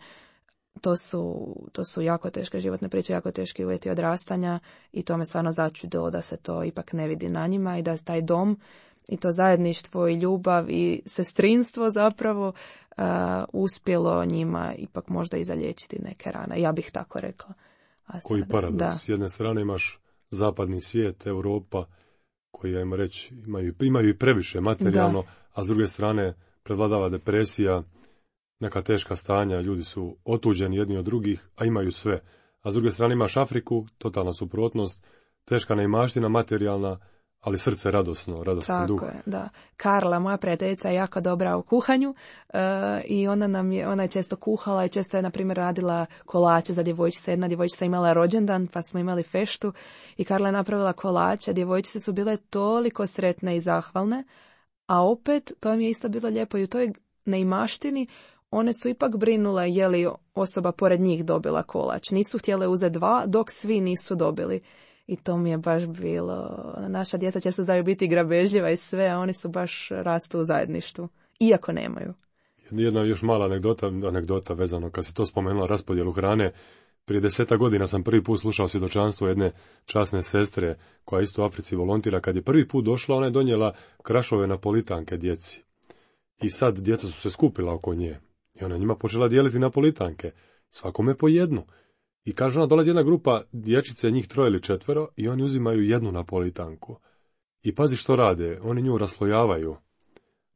to su, to su jako teške životne priče, jako teški uvjeti odrastanja i to me stvarno začudilo da se to ipak ne vidi na njima i da taj dom i to zajedništvo i ljubav i sestrinstvo zapravo uh, uspjelo njima ipak možda i zaliječiti neke rane. Ja bih tako rekla. A Koji sada, paradoks. da. S jedne strane imaš zapadni svijet, Europa, koji, ajmo reći, imaju, imaju i previše materijalno, da. A s druge strane prevladava depresija, neka teška stanja, ljudi su otuđeni jedni od drugih, a imaju sve. A s druge strane imaš Afriku, totalna suprotnost, teška neimaština materijalna, ali srce radosno, radostan Tako duh. je, da. Karla, moja prijateljica, je jako dobra u kuhanju uh, i ona nam je, ona je često kuhala i često je, na primjer, radila kolače za djevojčice. Jedna djevojčica imala rođendan, pa smo imali feštu i Karla je napravila kolače. Djevojčice su bile toliko sretne i zahvalne, a opet, to mi je isto bilo lijepo i u toj neimaštini, one su ipak brinule je li osoba pored njih dobila kolač. Nisu htjele uzeti dva, dok svi nisu dobili. I to mi je baš bilo, naša djeca često znaju biti grabežljiva i sve, a oni su baš rastu u zajedništvu, iako nemaju. Jedna još mala anegdota, anegdota vezano, kad si to spomenula raspodjelu hrane, prije deseta godina sam prvi put slušao svjedočanstvo jedne časne sestre koja isto u Africi volontira. Kad je prvi put došla, ona je donijela krašove napolitanke djeci. I sad djeca su se skupila oko nje. I ona njima počela dijeliti napolitanke, svakome po jednu. I kaže ona, dolazi jedna grupa dječice, njih troje ili četvero, i oni uzimaju jednu napolitanku. I pazi što rade, oni nju raslojavaju.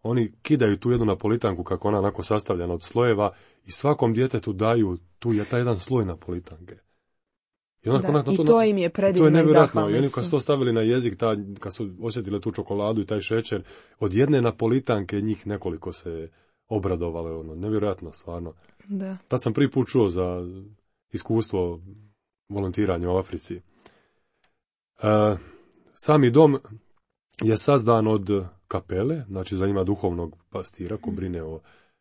Oni kidaju tu jednu napolitanku kako ona onako sastavljena od slojeva i svakom djetetu daju tu je taj jedan sloj napolitanke. I, ona, da, ona, to, i to im je predivno i zahvalni. I oni kad su to stavili na jezik, ta, kad su osjetile tu čokoladu i taj šećer, od jedne napolitanke njih nekoliko se obradovalo. Ono, nevjerojatno, stvarno. Da. Tad sam prvi put čuo za iskustvo volontiranja u Africi. E, sami dom je sazdan od kapele, znači za ima duhovnog pastira ko brine o,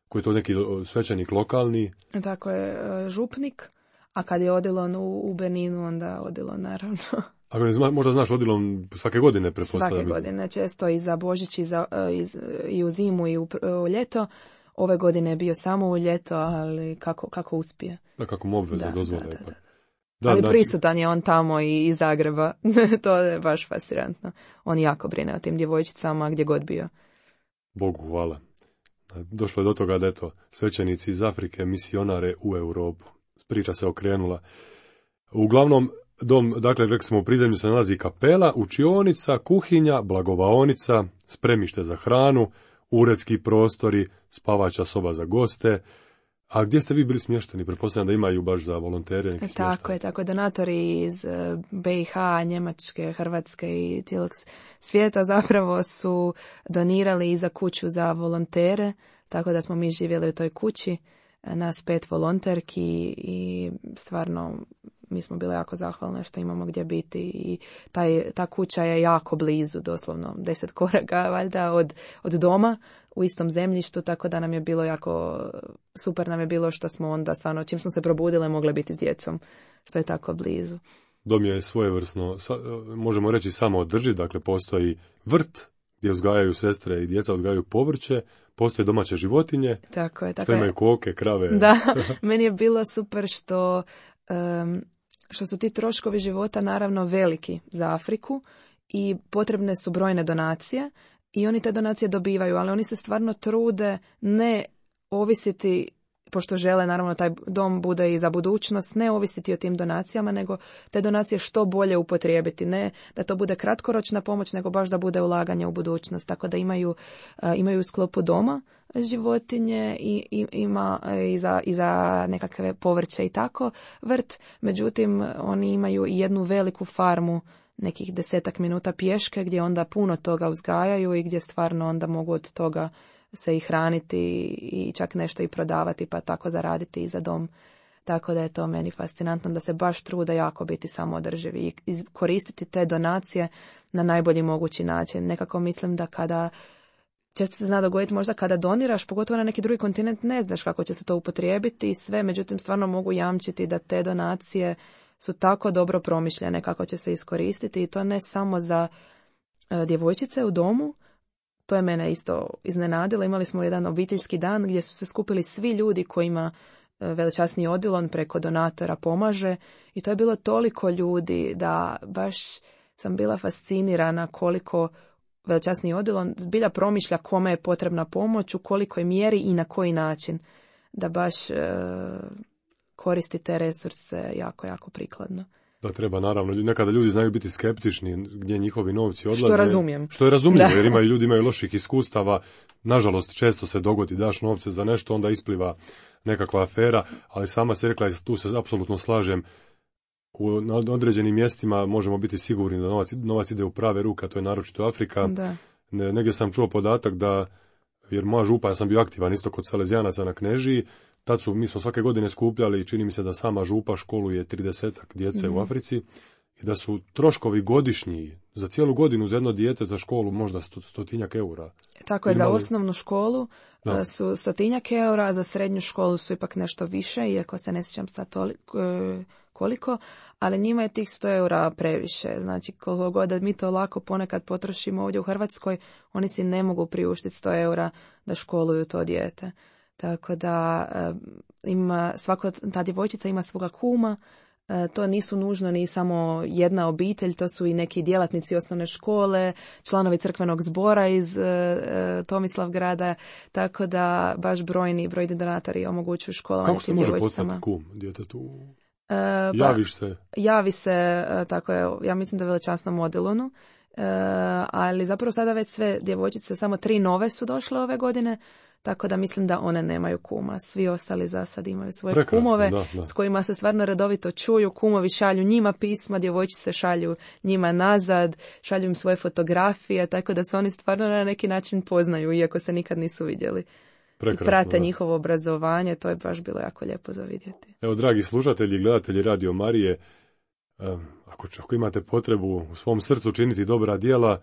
koji je to neki svećenik lokalni. Tako je, župnik, a kad je odilon u, u Beninu, onda odilon naravno. Ako ne zna, možda znaš odilon svake godine pretpostavljam. Svake godine, često i za Božić i, za, i, i u zimu i u, u ljeto. Ove godine je bio samo u ljeto, ali kako, kako uspije. Da, kako mu obveza dozvole. Da, da, da. Da, ali znači, prisutan je on tamo i iz Zagreba. To je baš fascinantno. On jako brine o tim djevojčicama gdje god bio. Bogu hvala. Došlo je do toga da eto, svećenici iz Afrike misionare u Europu. Priča se okrenula. Uglavnom, dom, dakle, rekli smo, u prizemlju se nalazi kapela, učionica, kuhinja, blagovaonica, spremište za hranu, uredski prostori, spavača soba za goste. A gdje ste vi bili smješteni? Pretpostavljam da imaju baš za volontere neki smještaj. Tako je, tako je. Donatori iz B i H, Njemačke, Hrvatske i cijelog svijeta zapravo su donirali i za kuću za volontere, tako da smo mi živjeli u toj kući, nas pet volonterki i stvarno mi smo bile jako zahvalne što imamo gdje biti i taj, ta kuća je jako blizu, doslovno deset koraka valjda od, od doma u istom zemljištu, tako da nam je bilo jako, super nam je bilo što smo onda stvarno, čim smo se probudile, mogle biti s djecom, što je tako blizu. Dom je svojevrsno, možemo reći, samo održiv, dakle postoji vrt gdje uzgajaju sestre i djeca uzgajaju povrće, postoje domaće životinje, tako je, tako što imaju koke, krave. Da, meni je bilo super što, um, što su ti troškovi života naravno veliki za Afriku i potrebne su brojne donacije i oni te donacije dobivaju, ali oni se stvarno trude ne ovisiti pošto žele naravno taj dom bude i za budućnost, ne ovisiti o tim donacijama, nego te donacije što bolje upotrijebiti. Ne da to bude kratkoročna pomoć, nego baš da bude ulaganje u budućnost. Tako da imaju, imaju u sklopu doma životinje i, i ima i za, i za nekakve povrće i tako vrt. Međutim, oni imaju i jednu veliku farmu nekih desetak minuta pješke gdje onda puno toga uzgajaju i gdje stvarno onda mogu od toga se i hraniti i čak nešto i prodavati pa tako zaraditi i za dom. Tako da je to meni fascinantno da se baš trude jako biti samoodrživi i koristiti te donacije na najbolji mogući način. Nekako mislim da kada često se zna dogoditi možda kada doniraš, pogotovo na neki drugi kontinent, ne znaš kako će se to upotrijebiti i sve, međutim stvarno mogu jamčiti da te donacije su tako dobro promišljene kako će se iskoristiti i to ne samo za e, djevojčice u domu. To je mene isto iznenadilo. Imali smo jedan obiteljski dan gdje su se skupili svi ljudi kojima e, Velečasni Odilon preko donatora pomaže i to je bilo toliko ljudi da baš sam bila fascinirana koliko Velečasni Odilon zbilja promišlja kome je potrebna pomoć, u kolikoj mjeri i na koji način da baš e, koristi te resurse jako, jako prikladno. Da treba, naravno. Nekada ljudi znaju biti skeptični gdje njihovi novci odlaze. Što razumijem. Što je razumljivo, jer imaju ljudi imaju loših iskustava. Nažalost, često se dogodi daš novce za nešto, onda ispliva nekakva afera, ali sama se rekla, tu se apsolutno slažem, u na određenim mjestima možemo biti sigurni da novac, novac ide u prave ruke, a to je naročito Afrika. Da. Ne, negdje sam čuo podatak da, jer moja župa, ja sam bio aktivan isto kod Salezijanaca na Knežiji, tad su, mi smo svake godine skupljali, čini mi se da sama župa školuje tridesetak djece mm-hmm. u Africi i da su troškovi godišnji za cijelu godinu za jedno dijete za školu možda sto, stotinjak eura. Tako je, Imali... za osnovnu školu da. su stotinjak eura, a za srednju školu su ipak nešto više, iako se ne sjećam sad toliko, koliko, ali njima je tih sto eura previše. Znači, koliko god da mi to lako ponekad potrošimo ovdje u Hrvatskoj, oni si ne mogu priuštiti sto eura da školuju to dijete. Tako da ima, svako, ta djevojčica ima svoga kuma, to nisu nužno ni samo jedna obitelj, to su i neki djelatnici osnovne škole, članovi crkvenog zbora iz uh, Tomislavgrada, tako da baš brojni, brojni donatori omogućuju školovanje tim djevojčicama. Kako se može postati kum djetetu? Uh, Javiš se? Javi se, uh, tako je, ja mislim da je Velečasnom Odilonu, uh, ali zapravo sada već sve djevojčice, samo tri nove su došle ove godine, tako da mislim da one nemaju kuma. Svi ostali za sad imaju svoje Prekrasno, kumove da, da. s kojima se stvarno redovito čuju. Kumovi šalju njima pisma, djevojčice šalju njima nazad, šalju im svoje fotografije, tako da se oni stvarno na neki način poznaju, iako se nikad nisu vidjeli. Prekrasno, I prate da. njihovo obrazovanje, to je baš bilo jako lijepo za vidjeti. Evo, dragi slušatelji i gledatelji Radio Marije, ako, ako imate potrebu u svom srcu činiti dobra djela,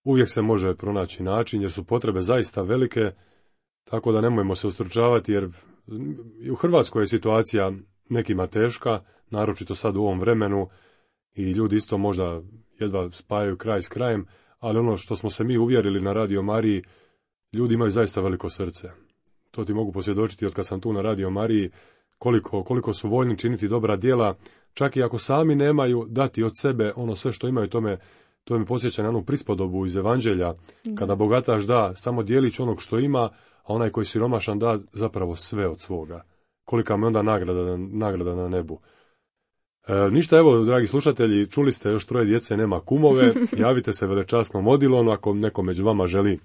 uvijek se može pronaći način, jer su potrebe zaista velike. Tako da nemojmo se ustručavati, jer u Hrvatskoj je situacija nekima teška, naročito sad u ovom vremenu, i ljudi isto možda jedva spajaju kraj s krajem, ali ono što smo se mi uvjerili na Radio Mariji, ljudi imaju zaista veliko srce. To ti mogu posvjedočiti od kad sam tu na Radio Mariji, koliko, koliko su voljni činiti dobra djela, čak i ako sami nemaju dati od sebe ono sve što imaju. Tome, to mi podsjeća na onu prispodobu iz Evanđelja, da. Kada bogataš da samo dijelić onog što ima, a onaj koji siromašan da zapravo sve od svoga. Kolika mu je onda nagrada, nagrada na nebu. E, ništa, evo, dragi slušatelji, čuli ste još troje djece, nema kumove, javite se Velečasnom Odilonu ako neko među vama želi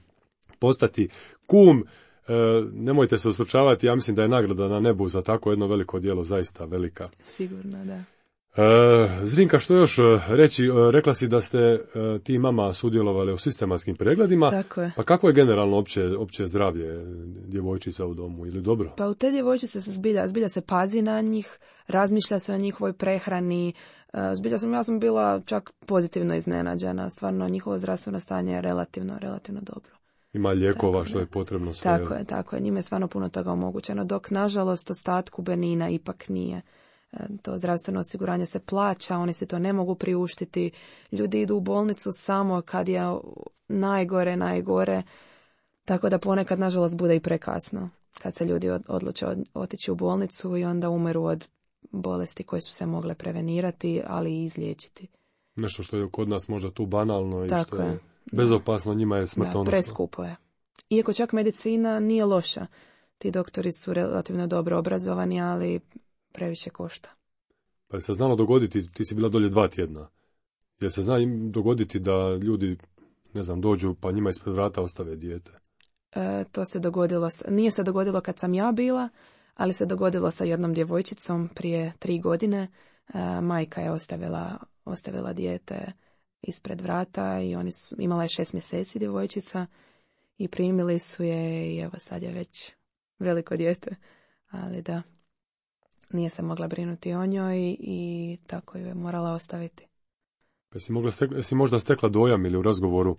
postati kum. E, nemojte se ustručavati, ja mislim da je nagrada na nebu za tako jedno veliko djelo zaista velika. Sigurno, da. E, Zrinka, što još reći? Rekla si da ste e, ti mama sudjelovali u sistematskim pregledima. Tako je. Pa kako je generalno opće, opće zdravlje djevojčica u domu, ili dobro? Pa u te djevojčice se zbilja, zbilja se pazi na njih, razmišlja se o njihovoj prehrani. Zbilja sam, ja sam bila čak pozitivno iznenađena. Stvarno, njihovo zdravstveno stanje je relativno, relativno dobro. Ima lijekova tako, što je potrebno sve. Tako je, tako je. Njime je stvarno puno toga omogućeno, dok nažalost ostatku Benina ipak nije. To zdravstveno osiguranje se plaća, oni se to ne mogu priuštiti. Ljudi idu u bolnicu samo kad je najgore, najgore. Tako da ponekad, nažalost, bude i prekasno. Kad se ljudi odluče otići u bolnicu i onda umeru od bolesti koje su se mogle prevenirati, ali i izliječiti. Nešto što je kod nas možda tu banalno i tako što je je. bezopasno, njima je smrtonosno. Da, preskupo je. Iako čak medicina nije loša. ti doktori su relativno dobro obrazovani, ali previše košta. Pa je se znalo dogoditi, ti si bila dolje dva tjedna, jer se zna im dogoditi da ljudi, ne znam, dođu pa njima ispred vrata ostave dijete? E, to se dogodilo, nije se dogodilo kad sam ja bila, ali se dogodilo sa jednom djevojčicom prije tri godine. E, majka je ostavila, ostavila dijete ispred vrata i oni su, imala je šest mjeseci djevojčica i primili su je i evo sad je već veliko dijete, ali da, nije se mogla brinuti o njoj i, i tako ju je morala ostaviti. Pa si, mogla stek, si možda stekla dojam ili u razgovoru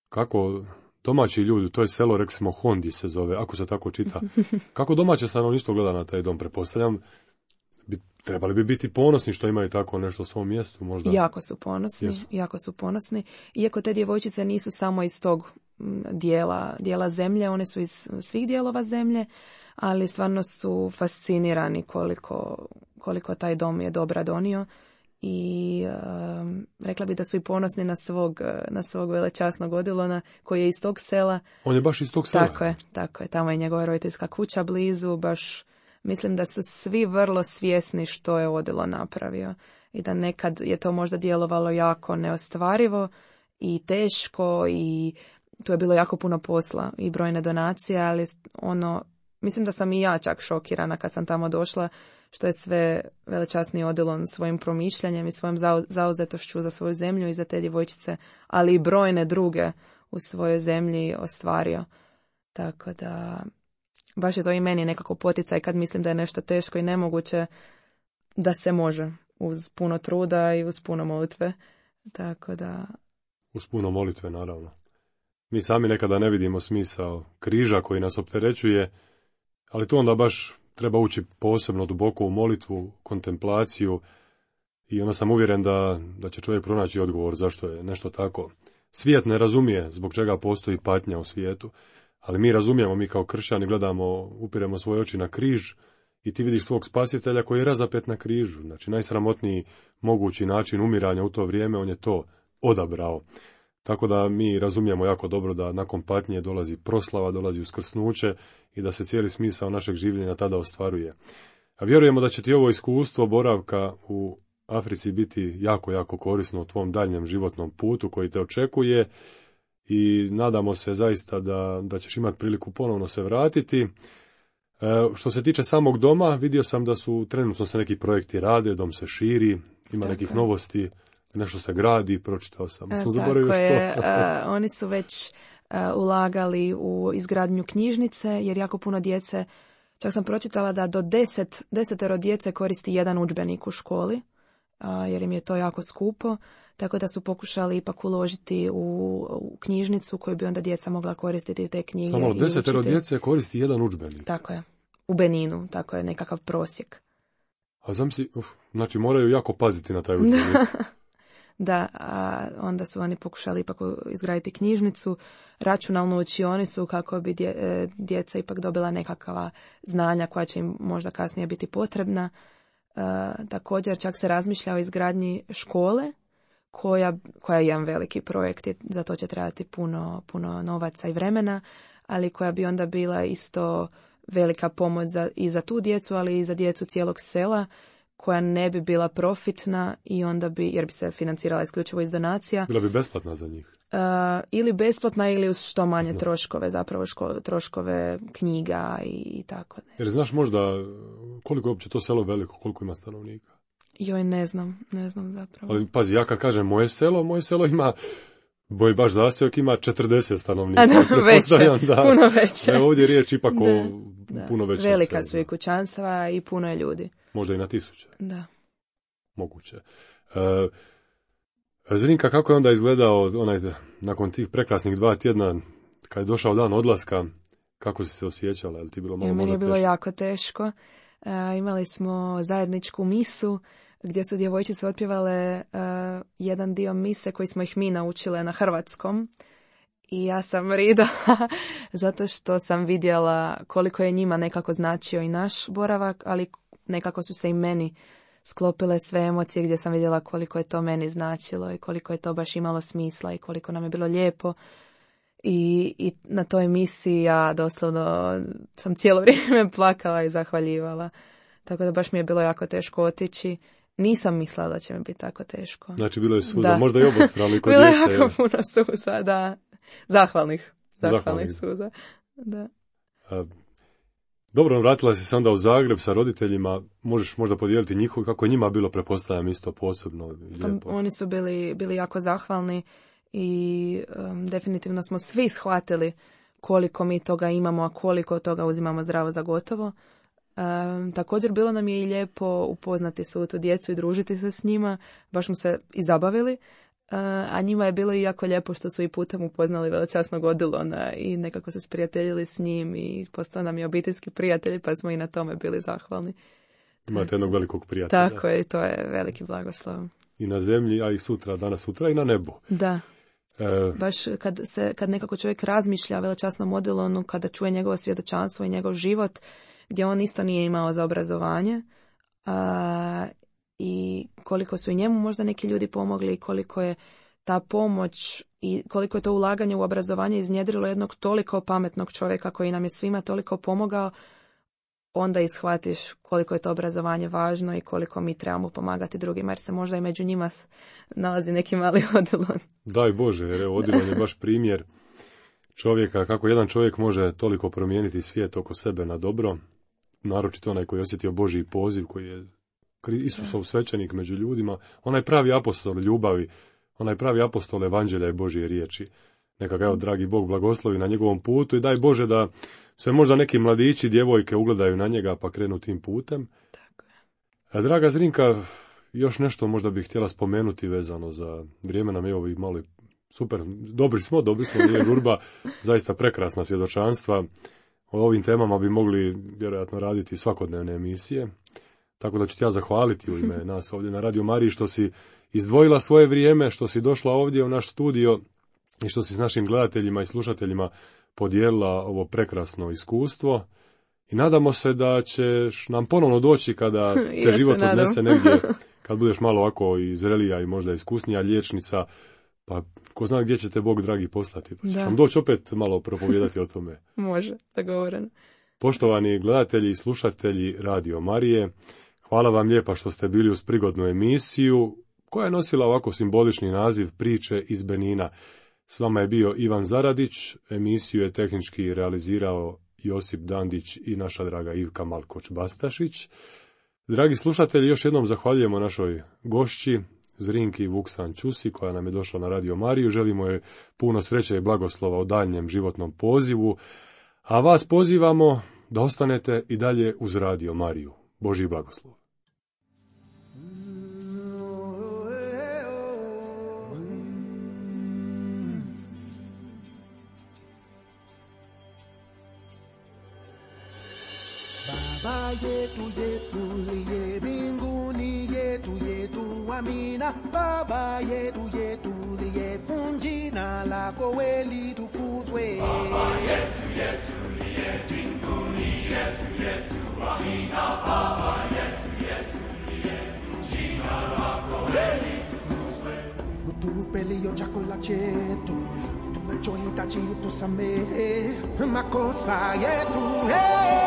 kako domaći ljudi, to je selo, rekli smo Hondi se zove, ako se tako čita, kako domaće stanovništvo gleda na taj dom, pretpostavljam, bi, trebali bi biti ponosni što imaju tako nešto u svom mjestu, možda? Jako su ponosni, Jesu. jako su ponosni, iako te djevojčice nisu samo iz tog dijela, dijela zemlje, one su iz svih dijelova zemlje, ali stvarno su fascinirani koliko, koliko taj dom je dobra donio i um, rekla bi da su i ponosni na svog, na svog velečasnog Odilona koji je iz tog sela. On je baš iz tog sela? Tako je, tako je, tamo je njegova roditeljska kuća blizu, baš mislim da su svi vrlo svjesni što je Odilon napravio i da nekad je to možda djelovalo jako neostvarivo i teško i tu je bilo jako puno posla i brojne donacije, ali ono, mislim da sam i ja čak šokirana kad sam tamo došla, što je sve velečasni Odilon svojim promišljanjem i svojom zauzetošću za svoju zemlju i za te djevojčice, ali i brojne druge u svojoj zemlji ostvario. Tako da, baš je to i meni nekako poticaj kad mislim da je nešto teško i nemoguće, da se može uz puno truda i uz puno molitve. Tako da... Uz puno molitve, naravno. Mi sami nekada ne vidimo smisao križa koji nas opterećuje, ali tu onda baš treba ući posebno duboko u molitvu, kontemplaciju i onda sam uvjeren da, da će čovjek pronaći odgovor zašto je nešto tako. Svijet ne razumije zbog čega postoji patnja u svijetu, ali mi razumijemo, mi kao kršćani gledamo, upiremo svoje oči na križ i ti vidiš svog spasitelja koji je razapet na križu. Znači najsramotniji mogući način umiranja u to vrijeme, on je to odabrao. Tako da mi razumijemo jako dobro da nakon patnje dolazi proslava, dolazi uskrsnuće i da se cijeli smisao našeg življenja tada ostvaruje. A vjerujemo da će ti ovo iskustvo boravka u Africi biti jako, jako korisno u tvom daljnjem životnom putu koji te očekuje i nadamo se zaista da, da ćeš imati priliku ponovno se vratiti. E, što se tiče samog doma, vidio sam da su trenutno se neki projekti rade, dom se širi, ima Tako nekih je. novosti. Nešto se gradi, pročitao sam. Sam zaboravio što. Je, uh, oni su već uh, ulagali u izgradnju knjižnice, jer jako puno djece, čak sam pročitala da do deset, desetero djece koristi jedan udžbenik u školi, uh, jer im je to jako skupo, tako da su pokušali ipak uložiti u, u knjižnicu koju bi onda djeca mogla koristiti te knjige. Samo desetero djece koristi jedan udžbenik? Tako je. U Beninu, tako je nekakav prosjek. A znam si, uf, znači moraju jako paziti na taj udžbenik. Da, a onda su oni pokušali ipak izgraditi knjižnicu, računalnu učionicu kako bi dje, djeca ipak dobila nekakva znanja koja će im možda kasnije biti potrebna. E, također čak se razmišlja o izgradnji škole koja, koja je jedan veliki projekt, za to će trebati puno, puno novaca i vremena, ali koja bi onda bila isto velika pomoć za, i za tu djecu, ali i za djecu cijelog sela, koja ne bi bila profitna i onda bi, jer bi se financirala isključivo iz donacija. Bila bi besplatna za njih? Uh, ili besplatna ili uz što manje no. troškove, zapravo ško, troškove knjiga i, i tako. Ne. Jer znaš možda koliko je uopće to selo veliko, koliko ima stanovnika? Joj, ne znam, ne znam zapravo. Ali pazi, ja kad kažem moje selo, moje selo ima, boj baš zasjok ima četrdeset stanovnika. A da, veće, da, puno veće. Da, ovdje je riječ ipak da, o da. puno većem selu. Velika su i kućanstva i puno je ljudi. Možda i na tisuće. Da. Moguće. E, Zrinka, kako je onda izgledao onaj, nakon tih prekrasnih dva tjedna, kad je došao dan odlaska, kako si se osjećala? Je li ti bilo malo, meni je bilo teško? jako teško. E, imali smo zajedničku misu, gdje su djevojčice otpjevale uh, jedan dio mise koji smo ih mi naučile na hrvatskom. I ja sam ridala zato što sam vidjela koliko je njima nekako značio i naš boravak, ali nekako su se i meni sklopile sve emocije gdje sam vidjela koliko je to meni značilo i koliko je to baš imalo smisla i koliko nam je bilo lijepo. I, i na toj emisiji ja doslovno sam cijelo vrijeme plakala i zahvaljivala. Tako da baš mi je bilo jako teško otići. Nisam mislila da će mi biti tako teško. Znači bilo je suza, da. možda i obostrano kod bilo djece. Bilo je jako puno suza, da. Zahvalnih. Zahvalnih, Zahvalnih. suza. Da. A, dobro, vratila si se onda u Zagreb sa roditeljima. Možeš možda podijeliti njihovo, kako je njima bilo, pretpostavljam, isto posebno lijepo. Oni su bili, bili jako zahvalni i um, definitivno smo svi shvatili koliko mi toga imamo, a koliko toga uzimamo zdravo za gotovo. Um, također bilo nam je i lijepo upoznati svu tu djecu i družiti se s njima, baš smo se i zabavili, uh, a njima je bilo i jako lijepo što su i putem upoznali velečasnog Odilona i nekako se sprijateljili s njim i postao nam je obiteljski prijatelj, pa smo i na tome bili zahvalni. Imate jednog velikog prijatelja. Tako je, to je veliki blagoslov. I na zemlji, a i sutra, danas sutra i na nebu. Da. E... Baš kad, se, kad nekako čovjek razmišlja o velečasnom Odilonu, kada čuje njegovo svjedočanstvo i njegov život, gdje on isto nije imao za obrazovanje, a, i koliko su i njemu možda neki ljudi pomogli i koliko je ta pomoć i koliko je to ulaganje u obrazovanje iznjedrilo jednog toliko pametnog čovjeka koji nam je svima toliko pomogao, onda ishvatiš koliko je to obrazovanje važno i koliko mi trebamo pomagati drugima, jer se možda i među njima nalazi neki mali Odilon. Daj Bože, jer Odilon je baš primjer čovjeka, kako jedan čovjek može toliko promijeniti svijet oko sebe na dobro, naročito onaj koji je osjetio Božji poziv, koji je Isusov svećenik među ljudima, onaj pravi apostol ljubavi, onaj pravi apostol evanđelja i Božje riječi. Neka ga, evo, dragi Bog blagoslovi na njegovom putu i daj Bože da se možda neki mladići, djevojke ugledaju na njega pa krenu tim putem. Tako je. A, draga Zrinka, još nešto možda bih htjela spomenuti vezano za vrijeme nam je ovo i malo super, dobri smo, dobri smo, nije žurba, zaista prekrasna svjedočanstva. O ovim temama bi mogli vjerojatno raditi svakodnevne emisije. Tako da ću ti ja zahvaliti u ime nas ovdje na Radio Mariji što si izdvojila svoje vrijeme, što si došla ovdje u naš studio i što si s našim gledateljima i slušateljima podijelila ovo prekrasno iskustvo. I nadamo se da ćeš nam ponovno doći kada te život odnese negdje, kad budeš malo ovako i zrelija i možda iskusnija liječnica, pa ko zna gdje će te Bog dragi poslati. Pa ćeš nam doći opet malo propovijedati o tome. Može, dogovoreno. Poštovani gledatelji i slušatelji Radio Marije, hvala vam lijepa što ste bili uz prigodnu emisiju koja je nosila ovako simbolični naziv Priče iz Benina. S vama je bio Ivan Zaradić, emisiju je tehnički realizirao Josip Dandić i naša draga Ivka Malkoč-Bastašić. Dragi slušatelji, još jednom zahvaljujemo našoj gošći, Zrinki Vuksan Ćusi, koja nam je došla na Radio Mariju. Želimo joj puno sreće i blagoslova u daljnjem životnom pozivu, a vas pozivamo da ostanete i dalje uz Radio Mariju. Božji blagoslov. Baba yetu yetu liye mbinguni yetu yetu amina. Baba yetu yetu liye jina lako we litukuzwe. Baba yetu yetu liye mbinguni yetu yetu amina. Baba yetu yetu liye jina lako we litukuzwe. Utupe liyo chakula chetu, tunachohitaji utusamehe makosa yetu, hey.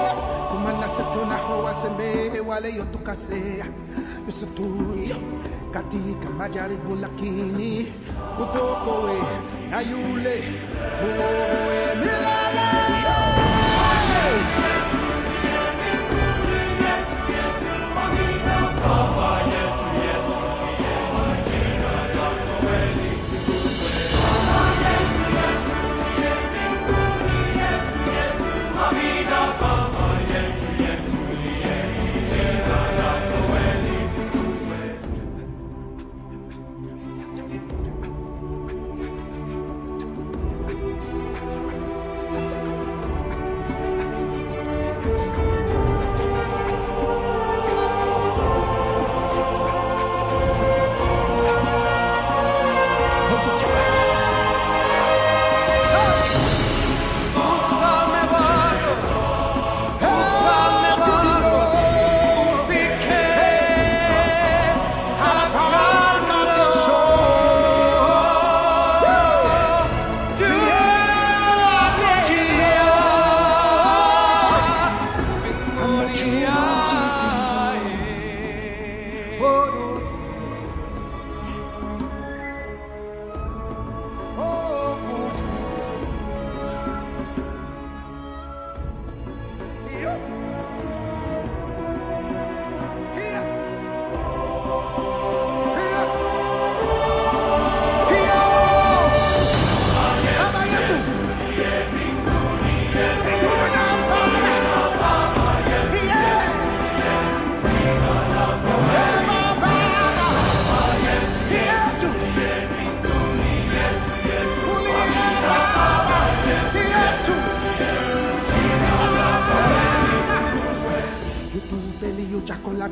Kumana setu na hoa sembe wale yo tukasea yusutuyo katika majaribu lakini utokoe na yule muoe milele.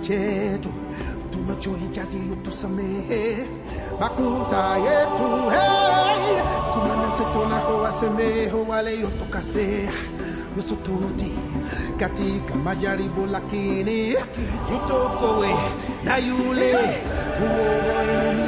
chetu tunachohitaji utusamehe makosa yetu hey kumana setona howasemeho wale yotokasea yosotuti katika majaribu lakini tutokowe na yule uovu